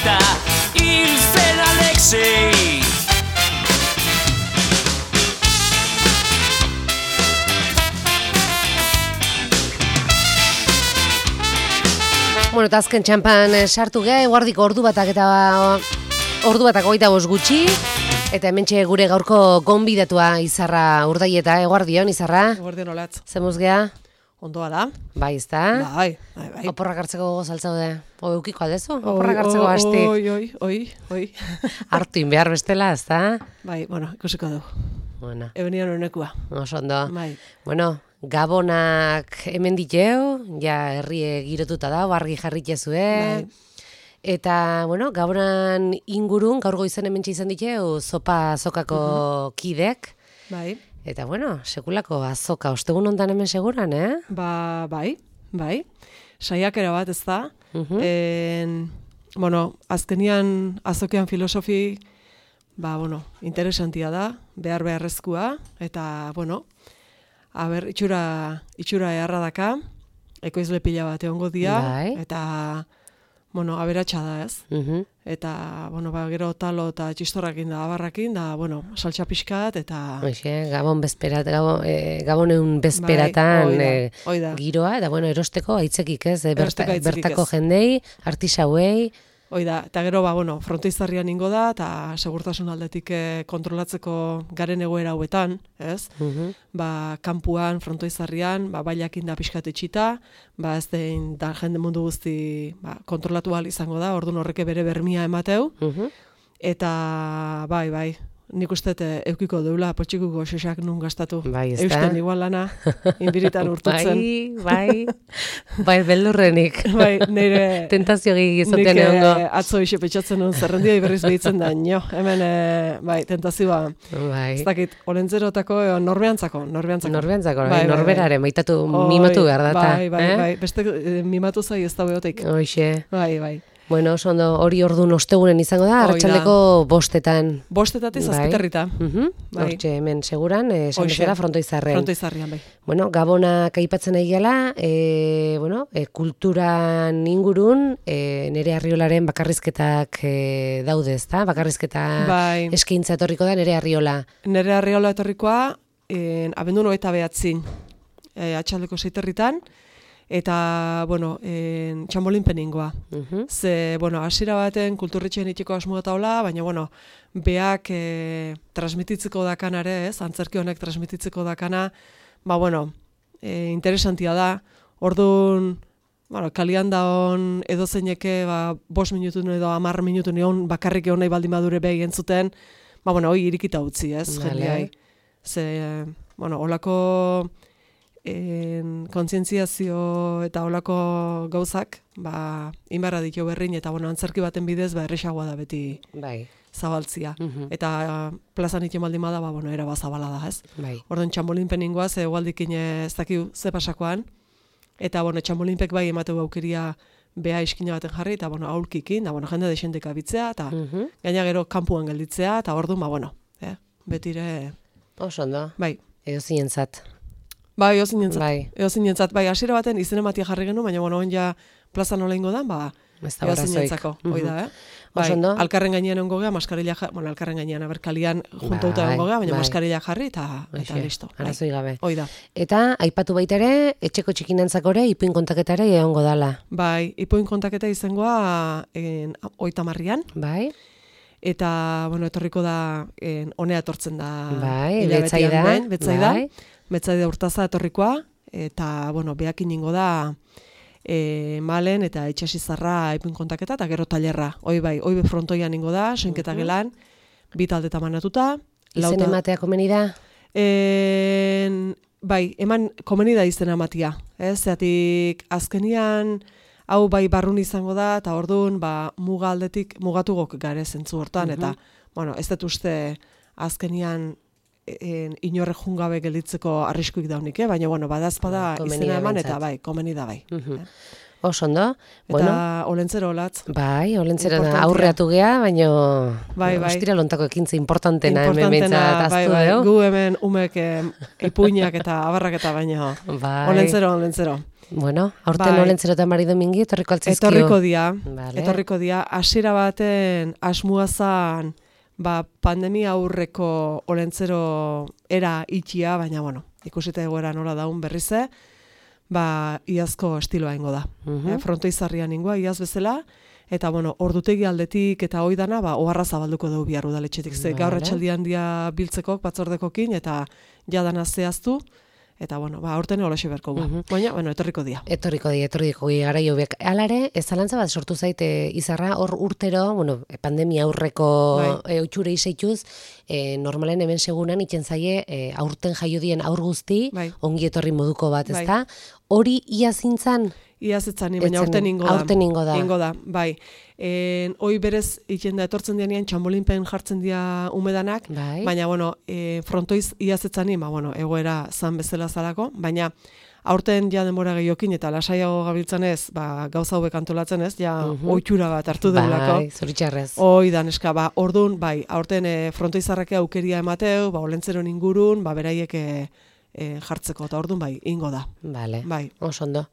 eta hil zen Alexei. Bueno, eta azken txampan sartu geha, eguardiko ordu batak hogeita bost gutxi. Eta hementxe gure gaurko gonbidatua Izarra Urdaieta, eguardion, Izarra? Eguardion olatz. Zemuz geha? Ondoa da. Bai, ezta? Bai. Oporrak hartzeko gozaltzau da. Eukiko aldezu? Oporrak hartzeko hastik. Oi. Hartuin behar bestela, ezta? Bai, bueno, ikusiko du. Bueno. Ebenian honekua. Oso ondo. Bai. Bueno, Gabonak hemen diteu, ja herrie girotuta da, argi jarritezue. Bai. Eta, bueno, Gabonan ingurun, gaur goizen hemen izan diteu, sokako kidek. Bai. Eta, bueno, sekulako azoka, ostegun ondan hemen seguran, Bai. Saiakera bat ez da. Bueno, azkenian azokean filosofi, interesantia da, beharrezkoa, eta, bueno, itxura eharra daka, ekoizle pila bat egongo dia, bai. eta, bueno, aberatsa da ez. Eta, bueno, gero talo eta txistorrakin da, abarrakin, da, bueno, saltxa pixkat, eta... Gabon Gaboneun bezperatan oida. Giroa, eta, bueno, erosteko aitzekik ez, Erosteko aitzekik bertako ez. jendei, artisauei. Oida, eta gero, frontoizarrian ingo da, eta segurtasun aldetik kontrolatzeko garen egoera hauetan, ez? Kanpuan, frontoizarrian, bailakin da pixkat etxita, ez dein da jende mundu guzti kontrolatu ahal izango da, orduan horreke bere bermia emateu, eta bai, nik uste eukiko deula potxikuko xosak nun gastatu. Bai, ez da? Eusten igual lana, inbiritan urtutzen. Bai, beldurrenik. Bai, nire... Tentazio gizotean egongo. Nik atzo iso petxatzen nuen zerrendia iberriz behitzen da, hemen, tentazioa. Bai. Ez dakit, olentzerotako, norbeantzako. Norberaren, baitatu mimatu behar data. Bai, beste mimatu zai ez da behoteik. Hoxe. Bai. Bueno, ondo hori orduan ostegunen izango da, arratsaldeko 5:00. 5:00 zazpiterrita. Hortxe hemen seguran, esan bezala frontoizarren. Frontoizarrian, bai. Bueno, Gabonak aipatzen nahi gela, kulturan ingurun, nere Arriolaren bakarrizketak daude, ezta? Bakarrizketa eskaintza etorriko da nere Arriola. Nere Arriola etorrikoa, abenduan 29, atxaldeko 6:00, eta, txambolinpeningoa. Ze, hasiera baten kulturretxean itiko asmuata hola, baina, beak transmititzeko dakanare, ez? Antzerki honek transmititzeko dakana, interesantia da. Orduan, kalian da hon edozeineke, 5 minutu edo 10 minutu nion bakarrik egon nahi baldin badure behi entzuten, hoi irikita utzi, ez? Jendeai. Ze, holako... kontzientziazio eta holako gauzak, inbarra ditu berrin, eta antzerki baten bidez, erresagoa da beti zabaltzia. Eta plazan iten baldin bada, era zabala da, ez? Orduan txambolinpeningoa, ze egualdikin ez dakiu ze pasakoan, eta txambolinpek bai emateu aukeria beha iskina baten jarri, eta aulkikin, da jende desendek abitzea, eta gaina gero kanpuan gelditzea, eta orduan, betire... Oso ondo. Bai. Edo zinentzat. Bai, eozinentzat. Bai, hasiera baten izen ematia jarri genuen, baina, oin ja plaza nola ingo da, eozinentzako. Hoi da, Bai, alkarren gainean ongo gea, maskarilla jarri, alkarren gainean, kalian juntauta ongo gea, baina maskarilla jarri, eta listo. Arazoi gabe. Hoi da. Eta, aipatu baita ere, etxeko txikinantzakore, ipuin kontaketare egongo dala. Bai, ipuin kontaketa izangoa 30an. Bai. Eta, etorriko da, honea etortzen da. Bai, betzaida. Betzaida urtaza etorrikoa, eta, behakin ingo da malen eta itxasizarra ipuin kontaketa, eta gero tailerra. Hoi frontoian ingo da, soinketa gelan, 2 taldeta manatuta. Izen ematea komeni da? Bai, eman komeni da izen ematia. Zeatik, azkenian, hau barrun izango da, eta orduan, muga aldetik, mugatugok gare zentzu hortan, eta, ez dut uste azkenian, inorre jungabe gelditzeko arriskuik daunik, baina, badazpada izena eman, eta komeni da bai. Oso ondo. Eta Olentzero olatz. Bai, Olentzero da aurreatu gea, baina ostira lontako ekintza importantena hemen behintzat aztu dugu. Gu hemen umek ipuinak eta abarrak eta baina Olentzero. Bueno, aurten Olentzero eta Mari Domingi etorriko altzizkio. Etorriko dia. Hasiera baten asmuazan pandemia aurreko Olentzero era itxia, baina ikusita egoera nola daun berrize, iazko estiloa ingo da. Frontoizarrian ingoa, iaz bezala, eta ordutegi aldetik eta oidana, oharra zabalduko dugu bihar udaletxetik. Gaur atxaldian dia biltzekok, batzordekokin, eta jadana zehaztu, eta aurten holaxe berko gu. Baina, etorriko dia. Etorriko dia, gara jobiak. Alare, ez zalantza bat sortu zaite izarra, hor urtero, pandemia aurreko otxure izaituz, normalen hemen segunan itzen zaie aurten jaio dien aur guzti, ongi etorri moduko bat, ezta? Hori iazintzan? Iazetzan, baina aurten ingo da. Aurten ingo da. Ingo da, bai. Hoi berez itzen da etortzen dianean txambolinpen jartzen dira umedanak, baina, frontoiz iazetzan, egoera zan bezala zalako, baina aurten ja denbora gehiokin eta lasaiago gabiltzan ez, gauza hobek antolatzen ez, ja oitxura bat hartu deulako. Bai, zoritxarrez. Oidan, eska, orduan, aurten frontoizarrake aukeria emateu, Olentzeron ingurun, beraiek jartzeko, eta orduan ingo da. Bale, oso ondo.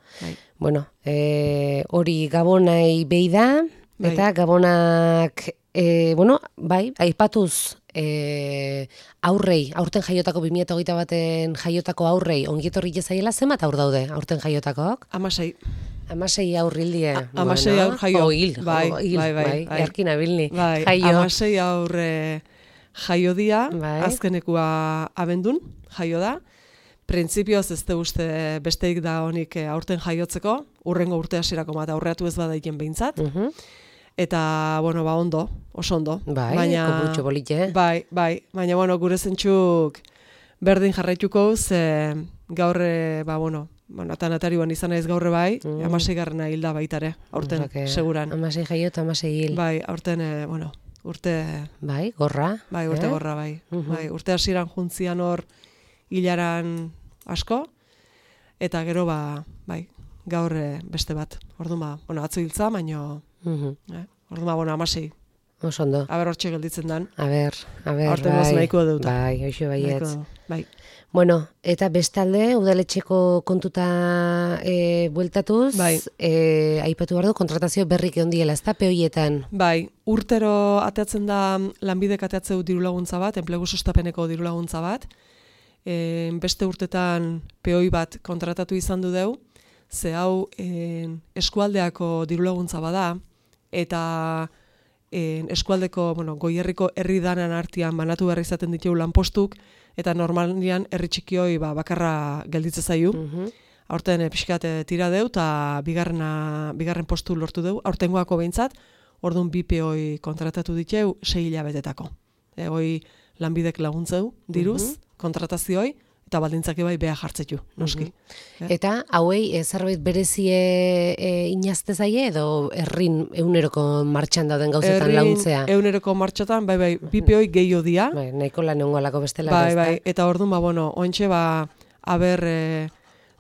Bueno, hori Gabonai behi da, eta Gabonak, aipatuz aurten jaiotako 2021 baten jaiotako aurrei ongietorri jezaiela zenbat aur daude aurten jaiotakoak? 16. 16 aur hildie. 16 aur jaio. Bai. Erkin abilni. Jaio. 16 aur jaio dia, azkenekua abendun jaio da. Printzipioz ez uste besteik da honik aurten jaiotzeko, urrengo urte hasierako bat aurreatu ez badaiken behintzat. Eta, ondo, oso ondo. Kopurutxo bolite. Bai, baina, gure zentzuk berdin jarraituko, ze gaur, eta natariuan izan naiz gaurre bai, 16garrena hilda baitare, aurten, seguran. 16 jaio eta 16 hil. Bai, aurten, urte... Bai, gorra. Bai, urte gorra, bai. Urte hasieran juntzian hor hilaran asko, eta gero, gaur beste bat. Orduan, atzo hiltza, baino... Orduan, 16. Oso ondo. Aber hortxe gelditzen dan. Aber, Horten nahiko dut. Bai, hoxo baietz. Bai. Bueno, eta bestalde, udaletxeko kontuta bueltatuz, aipatu behar du, kontratazio berrik ondiela, ez da, peoietan? Bai, urtero ateatzen da lanbidek ateatzeu dirulaguntza bat, enplegu sustapeneko dirulaguntza bat, beste urtetan peoi bat kontratatu izan du deu, ze hau eskualdeako dirulaguntza bada, eta eskualdeko, goierriko herri danan artean banatu behar izaten ditugu lanpostuk, eta normalian herri txikioi bakarra gelditze zaiu. Aurten pixkat tira deu, eta bigarren postu lortu deu, aurtengoako behintzat, orduan bi peoi kontratatu diteu 6 hilabetetako. Hoi lanbidek laguntzeu, diruz, kontratazioi, eta baldintzak bai beha jartzetu, noski. Eta hauei zerbait berezie inazte zaie edo herrin eguneroko martxan dauden gauzetan launtzea? Herrin eguneroko martxatan, bai, bipeoi gehiago dia. Bai, nahiko lan egungo alako bestela. Bai, eta orduan, ointxe, aber,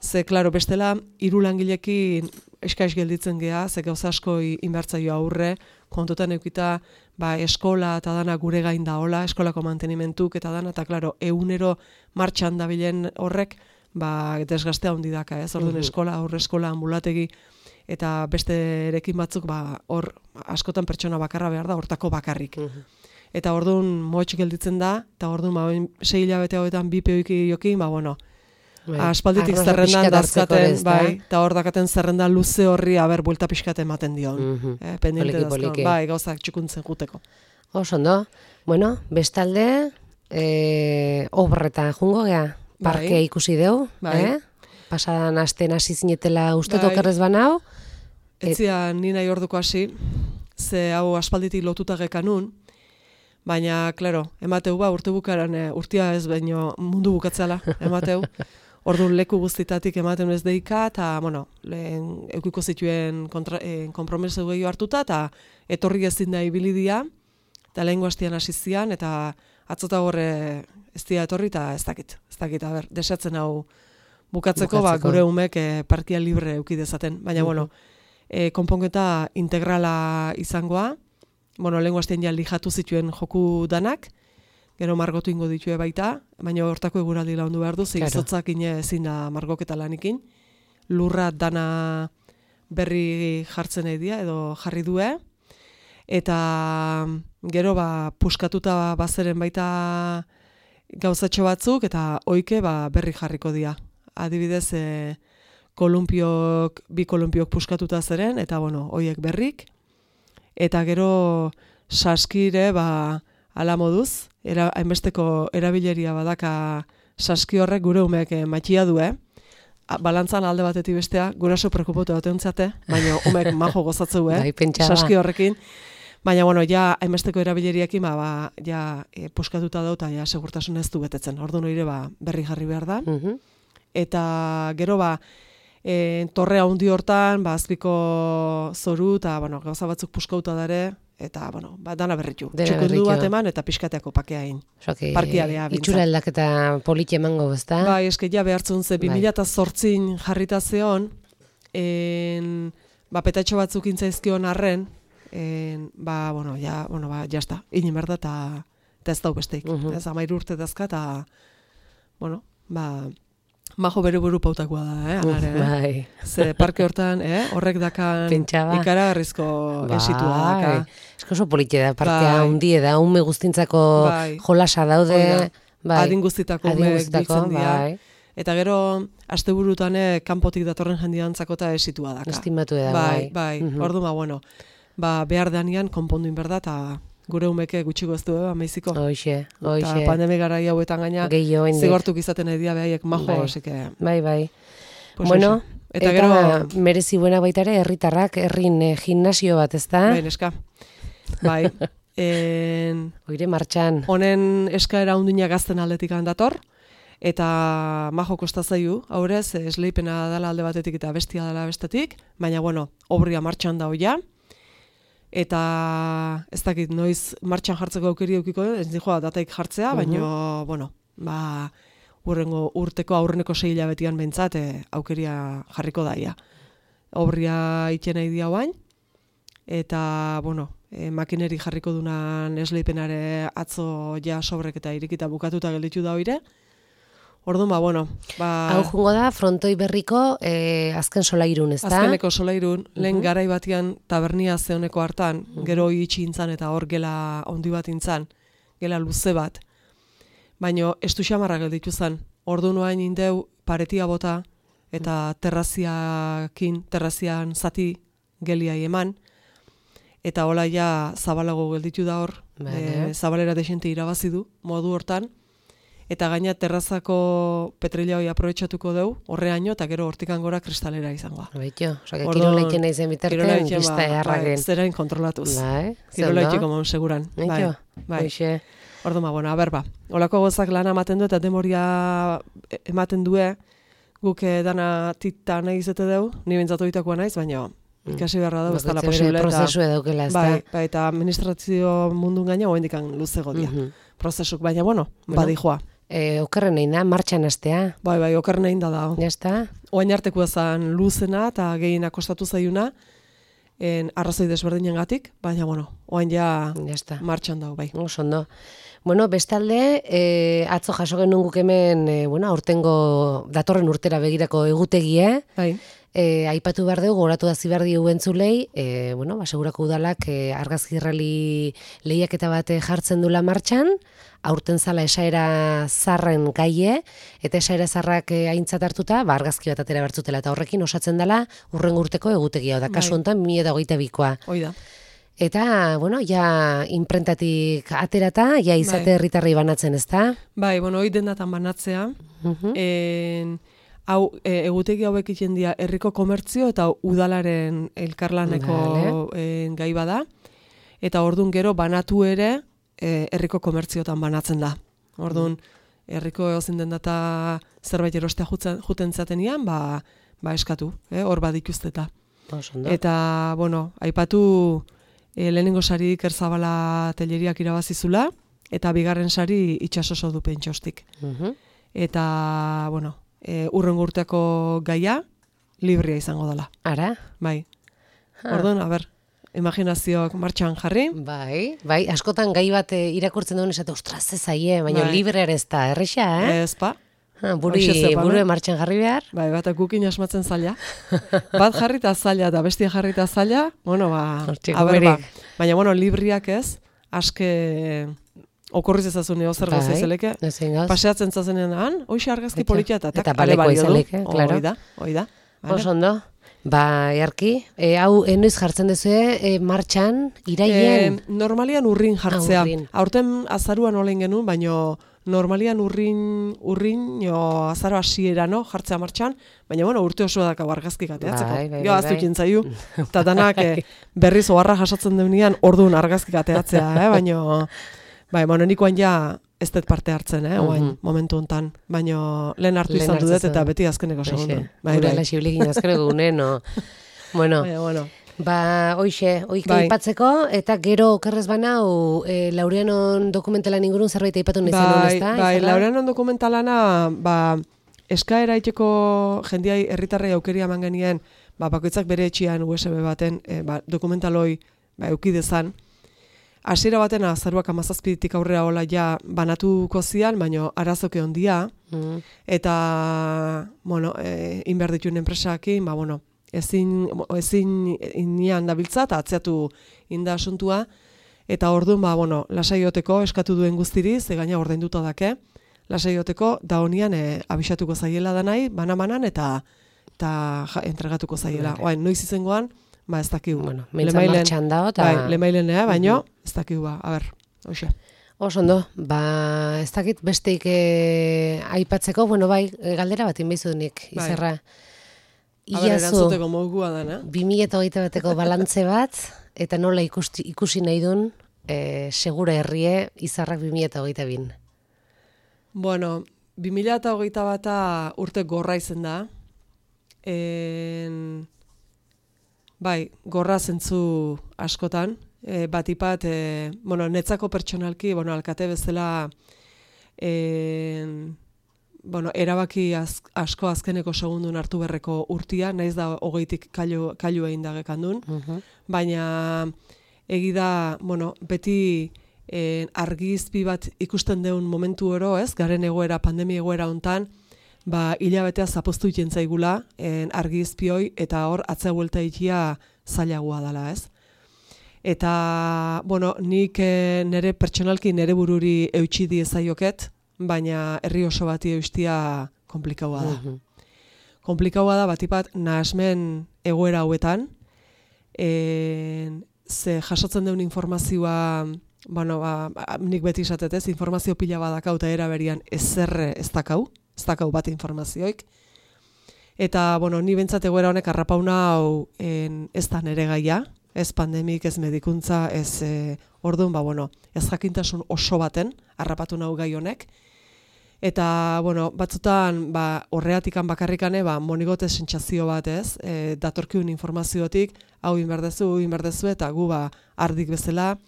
ze, klaro, bestela, 3 langilekin eskaiz gelditzen geha, ze gauza asko inbertzaio aurre, kontutan eukita, eskola eta dana gure gain da hola, eskolako mantenimentuk eta dana, eta klaro, egunero martxan dabilen horrek, desgaztea handi daka, ez? Orduan eskola, aurre eskola, ambulategi, eta beste erekin batzuk, hor askotan pertsona bakarra behar da, hortako bakarrik. Eta orduan moitx gelditzen da, eta orduan 6 hilabete hauetan bi peoiki jokin, aspalditik zerrendan dazkaten, eta hor dakaten zerrendan luze horri aber buelta pixkate ematen dion. Pendiente dazkaten, gauzak txukuntzen juteko. Oso ondo. Bueno, bestalde, obreta jungo gea, parkea ikusi deu, pasadan asten hasi zinetela uste tokerrez banau. Etzian ni nahi orduko hasi, ze hau aspalditik lotuta gekanun, baina, klaro, emateu urte bukaran, urtia ez baino mundu bukatzela, emateu. Orduan leku guztitatik ematen ez deika, eta, lehen eukiko zituen konpromesu gehiago hartuta, eta etorri ezin da ibilidia, eta lehengo hastian hasi zian, eta atzota horre ez dira etorri, eta ez dakit, desatzen hau bukatzeko. Gure umek parkia libre euki dezaten, baina, konponketa integrala izangoa, lehengo astean ja lijatu zituen joku danak, gero margotu ingo ditue baita, baina hortako eguraldi laundu behar du, izotzak ezin da margoketa lanikin, lurra dana berri jartzen edia, edo jarri due, eta gero puskatuta bazeren baita gauzatxo batzuk, eta oike berri jarriko dira. Adibidez, bi kolumpiok puskatuta zeren, eta hoiek berrik, eta gero saskire ala moduz, hainbesteko erabileria badaka saski horrek gure umeek matxia du, balantzan alde batetik bestea, guraso preokupotu bateuntzate, baina umeek majo gozatzeu, saski horrekin, baina, ja, hainbesteko erabileriakin, ja, puskatuta dut, ja, segurtasun ez du betetzen, ordu noire, berri jarri behar da, eta gero, torre handi hortan, azpiko zoru, eta, gauza batzuk puskauta dare, eta, dana berritu. Txukundu bat eman, eta pixkateako pakeain. Parkialea, bintzat. Itxura aldaketa politi emango, ezta? Bai, eske ja behartzun ze, 2008 jarrita zeon, petatxo batzuk intzaizkion arren, jazta, inin berda, eta ez dau besteik. Ez, 13 urte dazka, eta, majo bere buru pautakoa da, alare, Bai. Ze parke hortan, horrek dakan ikaragarrizko esitua daka. Esko oso politia da, parkea hundie da, ume guztintzako jolasa daude. Adin guztitako ume biltzen dira. Eta gero, asteburutan kanpotik datorren jendiantzako eta esitua daka. Estimatu da, bai. Ordu, behar deanian, konponduin berda, eta gure umeke gutxiko ez du, amaiziko. Hoxe. Eta pandemi gara hauetan gaina, zigortuk izaten edia behaiek majo, esike. Bai. Bueno, eta gero merezi buena baita ere, herritarrak, herrin gimnasio bat, ezta? Bai, neska. Bai. Oire martxan. Honen eskaera undina gazten aldetik handator, eta majo kostazaiu, aurrez, esleipena dela alde batetik eta bestia dela bestetik, baina, obria martxan da hoia, eta ez dakit noiz martxan jartzeko aukeri eukiko, ez dijoa dataik jartzea, baina, urrengo urteko aurreneko 6 hilabetian bentsat aukeria jarriko daia. Obria itxena idia bain, eta, makineri jarriko dunan esleipenare atzo ja sobrek eta irikita bukatuta gelditu da oire. Orduan, Hau jungo da, frontoi berriko azken solairun, ez da? Azkeneko solairun, lehen garai batian tabernia zeoneko hartan, gero itxi intzan eta hor gela ondi bat intzan, gela luze bat. Baina estu xamarra gelditu zen. Orduan noain indeu paretia bota eta terrazian zati geliai eman, eta hola ja zabalago gelditu da hor, zabalera desente irabazi du, modu hortan, eta gaina terrazako petrila hori aprobetxatuko deu, horreaino, eta gero hortikan gora kristalera izangoa. Baito, kiroleiken nahi zen bitarten, gizta eharragen. Zerain kontrolatuz. Kiroleitik omon seguran. Bai. Orduan, holako gozak lana ematen du, eta demoria ematen due, guk dana tita nahi izate deu, ni bentzatoitakoa naiz, baina ikasi beharra da, ez dala posible. Prozesu edaukela, ez da? Bai, eta administrazio mundun gaina, oendikan luzego dia. Prozesuk, baina, badijoa. Okerren egin da, martxan astea. Bai, okerren egin da. Jazta? Oain arteko ezan luzena eta gehien akostatu zaiuna, arrazoi desberdinen gatik, baina, oain ja martxan dago, bai. Osondo. Bestalde, atzo jaso genuen guk hemen, aurtengo datorren urtera begirako egutegie, bai. Aipatu behar dugu, goratu dazi behar dugu entzulei, segurako udalak argazkirrali lehiaketa bat jartzen dula martxan, aurten zala esaera zarren gaie, eta esaera zarrak aintzat hartuta, argazki bat atera bertzutela, eta horrekin osatzen dela urrengo urteko egutegia, da kasu honetan 2022koa. Hoi da. Eta, ja imprentatik aterata, ja izate herritarrei banatzen, ezta? Bai, hoi dendatan banatzea, hau, egutegi hauek iten dira herriko komertzio eta udalaren elkarlaneko gai bada, eta ordun gero banatu ere herriko komertziotan banatzen da. Ordun herriko ezin den data zerbait erostea juten zatenian, eskatu, hor badituzteta. Eta, aipatu lehenengo sari Iker Zabala teleriak irabazizula, eta bigarren sari itxasoso du pentsostik. Eta, urrengo urteko gaia, librea izango dela. Ara? Bai. Orduan, imaginazioak martxan jarri. Bai, askotan gai bat irakurtzen duen esate, ostras, ez zaie, baina libre ere ez da, erresa, Ez pa. Burue martxan jarri behar. Bai, bat gukin asmatzen zaila. Bat jarrita zaila eta bestia jarrita zaila, baina, libriak ez, aske okorriz ezazun zer gauza izeleke. Paseatzen zazenean, hoxe argazki politia eta baleko izeleke, klaro. Hoi da. Oso ondo. Jarki, hau enoiz jartzen duzue martxan, iraien? Normalian urrin jartzea. Aurten azaruan olen genuen, baina normalian urrin azaro hasiera jartzea martxan, baina urte osoa daka argazkik ateatzeko. Jo, aztu kintzaiu. Eta danak berriz oharra jasotzen deunian orduan argazkik ateatzea, baina nikoan ja ez dut parte hartzen, momentu hontan, baina lehen hartu izan dudet eta beti azkeneko segundu. Gure alaxiblekin azkeneko gunen, Bueno, hoike aipatzeko, eta gero okerrez banau, Laureanon dokumentalan ingurun zerbait aipatu nahi zenun, ez da? Bai, Laureanon dokumentalana, eskaera iteko jendiai herritarrei aukeria eman genien, bakoitzak bere etxian USB baten dokumentaloi eukidezan. Hasiera baten azaruak 17tik aurrera hola ja banatuko zian, baina arazoke ondia, eta, inber dituen enpresakin, ezin inian dabiltza eta atzeatu inda asuntua, eta orduan, lasaioteko eskatu duen guztiri, ze gaina ordainduta dake, lasaioteko da honian abisatuko zaiela da nahi, bana-banan eta entregatuko zaiela. Noiz izengoan, ez dakigu. Mentza martxan dao. Lemailenea, baino, ez dakigu, hoxe. Oso ondo, ez dakit besteik aipatzeko, galdera bat inbeizudunik, izerra. Erantzuteko mogua dana. 2021 bateko balantze bat, eta nola ikusi nahi duen, segura herrie, izarrak 2022. 2021 bata urte gorra izen da. Gorra zentzu askotan, batipat, netzako pertsonalki, alkate bezala, erabaki asko azkeneko segundun hartu berreko urtia, naiz da 20tik kailu egin dagekan duen, baina egida, beti argizpi bat ikusten deun momentu oro, garen egoera, pandemia egoera hontan, hilabetea zapoztu iten zaigula argizpioi eta hor atzea buelta ikia zailagoa dela, ez? Eta, nik nire pertsonalki nire bururi eutxi diezaioket, baina herri oso bati eustia komplikaua da. Komplikaua da batipat nahasmen egoera hauetan, ze jasotzen deun informazioa, nik beti esatetez, informazio pila badakau eta eraberian ezerre ez dakau bat informazioik. Eta, ni bentsat egoera honek arrapauna hau ez da nere gaia, ez pandemik, ez medikuntza, ez orduan, ez jakintasun oso baten harrapatu nahu gai honek. Eta, batzutan, horreatikan bakarrikane, monigote sentsazio bat ez, datorkiun informaziotik, hau inberdezu, eta gu ardik bezala.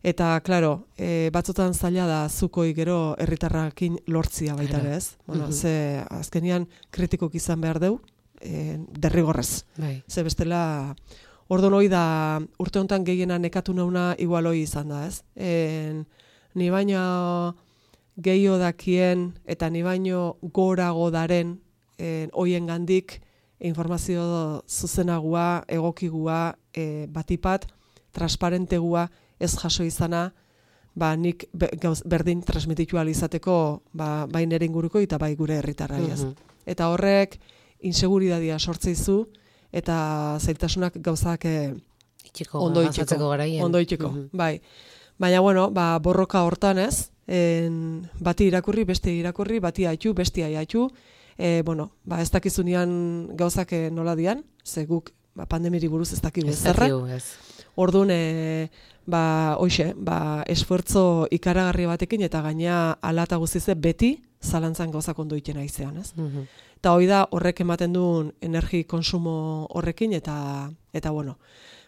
Eta, klaro, batzutan zaila da zukoi gero herritarrakin lortzia baita ez. Ze azkenian kritikok izan behar deu, derrigorrez. Ze bestela, orduan hoi da urte honetan gehiena nekatu nauna igual hoi izan da, ez? Ni baino gehiago dakien eta ni baino gorago daren hoien gandik informazio zuzenagua, egokigua, batipat, transparentegua, ez jaso izana, nik berdin transmititu izateko bai nere inguruko eta bai gure herritarrai ez. Eta horrek inseguridadia sortzeizu eta zailtasunak gauzak ondo itxeko. Bai. Baina, borroka hortan ez, bati irakurri, beste irakurri, bati haitu, bestia haitu, ez dakizunean gauzak nola dian, ze guk pandemiri buruz ez dakigu zerra. Orduan, esfuerzo ikaragarri batekin eta gaina alata guztize beti zalantzan gauzak ondo itena izean, ez? Eta hoi da horrek ematen duen energi konsumo horrekin eta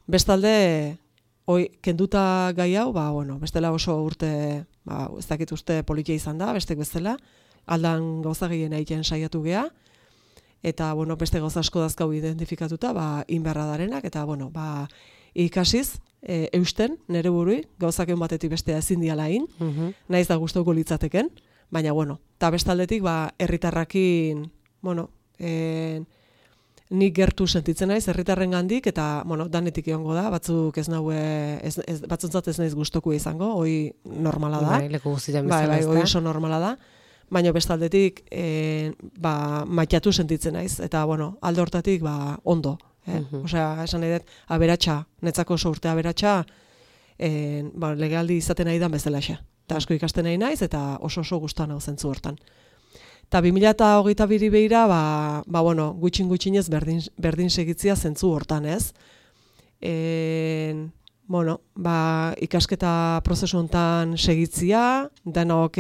bestalde, kenduta gai hau, bestela oso urte, ez dakit uste politia izan da, bestek bezala, aldan gauza gehien egiten saiatu gea, eta, bueno, beste gauza asko dazkau identifikatuta, inberra darenak, eta, bueno, ikasiz, eusten, nere burui, gauzak egun batetik bestea ezin dialain, naiz da gustauko litzateken, baina, bueno, eta bestaldetik, herritarrakin, bueno, nik gertu sentitzen naiz, herritarren gandik, eta, bueno, danetik egongo da, batzuk ez naue, batzuntzat ez naiz gustoko izango, hoi normala da. Bai, leku guztietan bezala ez da. Hoi oso normala da, baina bestaldetik, maitatu sentitzen naiz, eta, bueno, alde hortatik, ondo. Osea, esan nahi dut, aberatsa, netzako oso urte aberatsa, legealdi izaten nahi da bezala xa. Eta asko ikasten nahi naiz, eta oso gustan hau zentzu hortan. Eta 2022 behira, bueno, gutxinez berdin segitzia zentzu hortan, ez? Bueno, ikasketa prozesu hontan segitzia, denok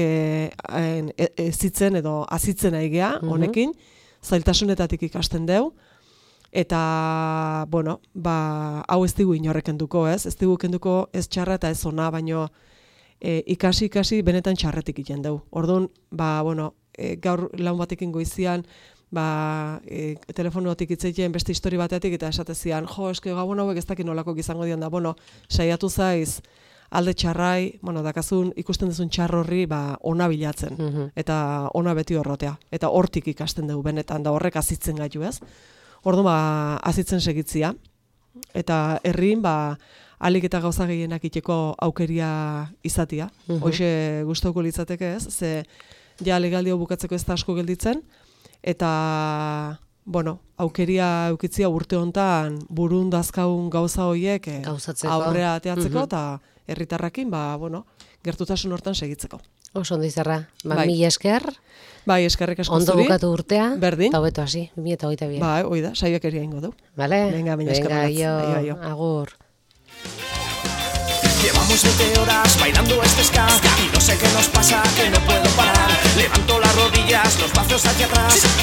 ezitzen edo azitzen aigea, honekin, zailtasunetatik ikasten deu, eta, bueno, hau ez digu inorrek enduko, ez? Ez digu kenduko ez txarra eta ez ona, baino ikasi benetan txarretik iten deu. Orduan, bueno, gaur laun batekin goizian, telefonotik itzeiten beste histori batetik eta esatezian, eske gabon hauek ez dakit nolako izango dian da, bueno, saiatu zaiz alde txarrai, bueno, dakazun ikusten duzun txar horri ona bilatzen, eta ona beti horrotea, eta hortik ikasten dugu benetan, da horrek azitzen gaitu, ez? Orduan, azitzen segitzia, eta herrin, alik eta gauza gehienak iteko aukeria izatia, hoxe gustauko litzateke, ez? Ze ja legaldio bukatzeko ez da asko gelditzen, eta, bueno, aukeria eukitzia urte hontan burun dazkaun gauza horiek aurrea ateatzeko, eta herritarrakin, bueno, gertutasun hortan segitzeko. Oso ondo Izarra, mila esker. Bai, eskerrik asko zuri. Ondo bukatu urtea, berdin. Eta hobeto hasi, 2022. Bai, hoi da, saiokeria ingo du. Vale? Venga, eskerrik agur. Llevamos 20 horas bailando este ska y no sé qué nos pasa, que no puedo parar. Levanto las rodillas, los brazos hacia atrás.